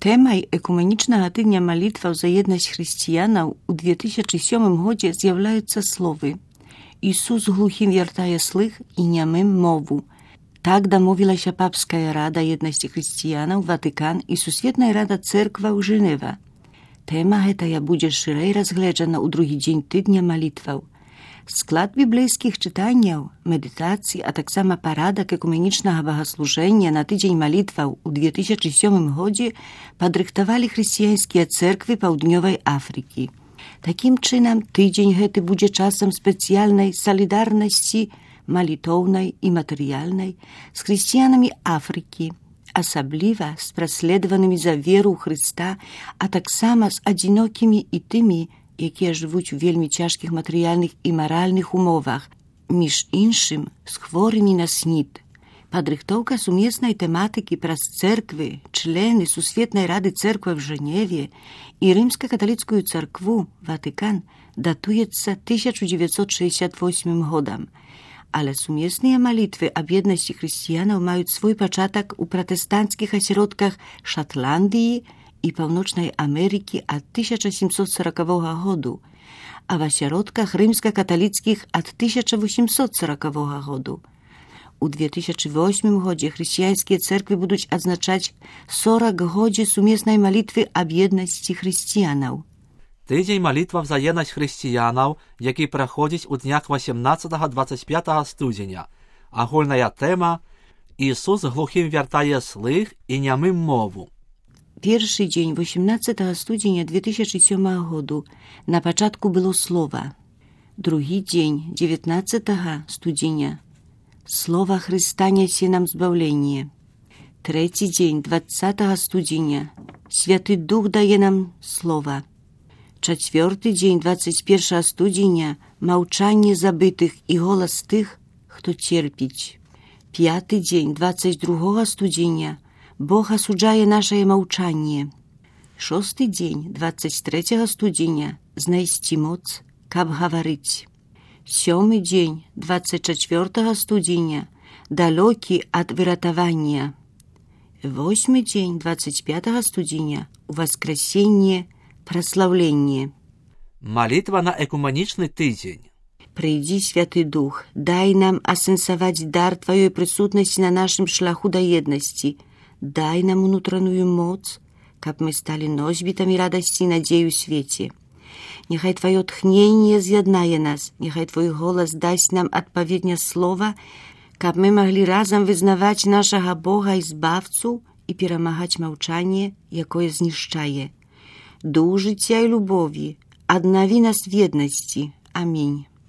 Тэмай экуменічнага тыдня малітваў за еднасць хрысціянаў у 2007 годзе з'яўляюцца словы «Ісус глухім вяртае слых і нямым мову». Так дамовілася Папская рада еднасці хрысціянаў, Ватыкан і Сусветная рада цэркваў Жэнева. Тэма гэтая будзе шырэй разгледжана ў другі дзень тыдня малітваў. Склад біблейскіх чытанняў, медытацый, а таксама парадак экуменічнага богаслужэння на тыдзень малітваў у 2007 годзе падрыхтавалі хрысціянскія цэрквы Паўднёвай Афрыкі. Такім чынам, тыдзень гэты будзе часам спецыяльнай салідарнасці малітоўнай і матэрыяльнай з хрысціянамі Афрыкі, асабліва з праследаванымі за веру ў Хрыста, а таксама з адзінокімі і тымі, якія жывуць у вельмі цяжкіх матэрыяльных і маральных умовах, між іншым з хворымі на СНІД. Падрыхтоўка сумеснай тэматыкі праз цэрквы, члены Сусветнай рады цэрквы в Жэневе і Рымска-каталіцкую царкву, Ватыкан, датуецца 1968 годам. Але сумесныя малітвы аб еднасці хрысціянаў маюць свой пачатак у пратэстанцкіх асяродках Шатландыі і Паўночнай Амерыкі ад 1740 году, а в асяродках рымска-каталіцкіх ад 1840 году. У 2008 годзе хрысціянскія цэрквы будуць адзначаць 40-годдзе сумеснай малітвы аб еднасці хрысціянаў. Тыдзень малітваў за еднасць хрысціянаў, які праходзіць у днях 18-25 студзеня. Агульная тэма «Ісус глухім вяртае слых і нямым мову». Першы дзень 18 студзеня 2007 году на пачатку было слова. Другі дзень 19 студзеня слова Хрыста нясе нам збаўленне. Трэці дзень 20 студзеня Святы Дух дае нам слова. Чацвёрты дзень 21 студзеня маўчанне забытых і голас тых, хто церпіць. Пяты дзень 22 студзеня Бог асуджае нашае маўчанне. Шосты дзень 23 студзеня знайсці моц, каб гаварыць. Сёмы дзень 24 студзеня далёкі ад выратавання. Восьмы дзень 25 студзеня уваскрасенне, праслаўленне. Малітва на экуменічны тыдзень. Прыйдзі, Святы Дух, дай нам асэнсаваць дар Тваёй прысутнасці на нашым шляху да еднасці. Дай нам унутраную моц, каб мы сталі носьбітамі радасці і надзеі ў свеце. Няхай Тваё тхненне з'яднае нас, няхай Твой голас дасць нам адпаведне слова, каб мы маглі разам вызнаваць нашага Бога і збавцу і перамагаць маўчанне, якое знішчае. Дух жыцця і любові, аднаві нас в еднасці. Амінь.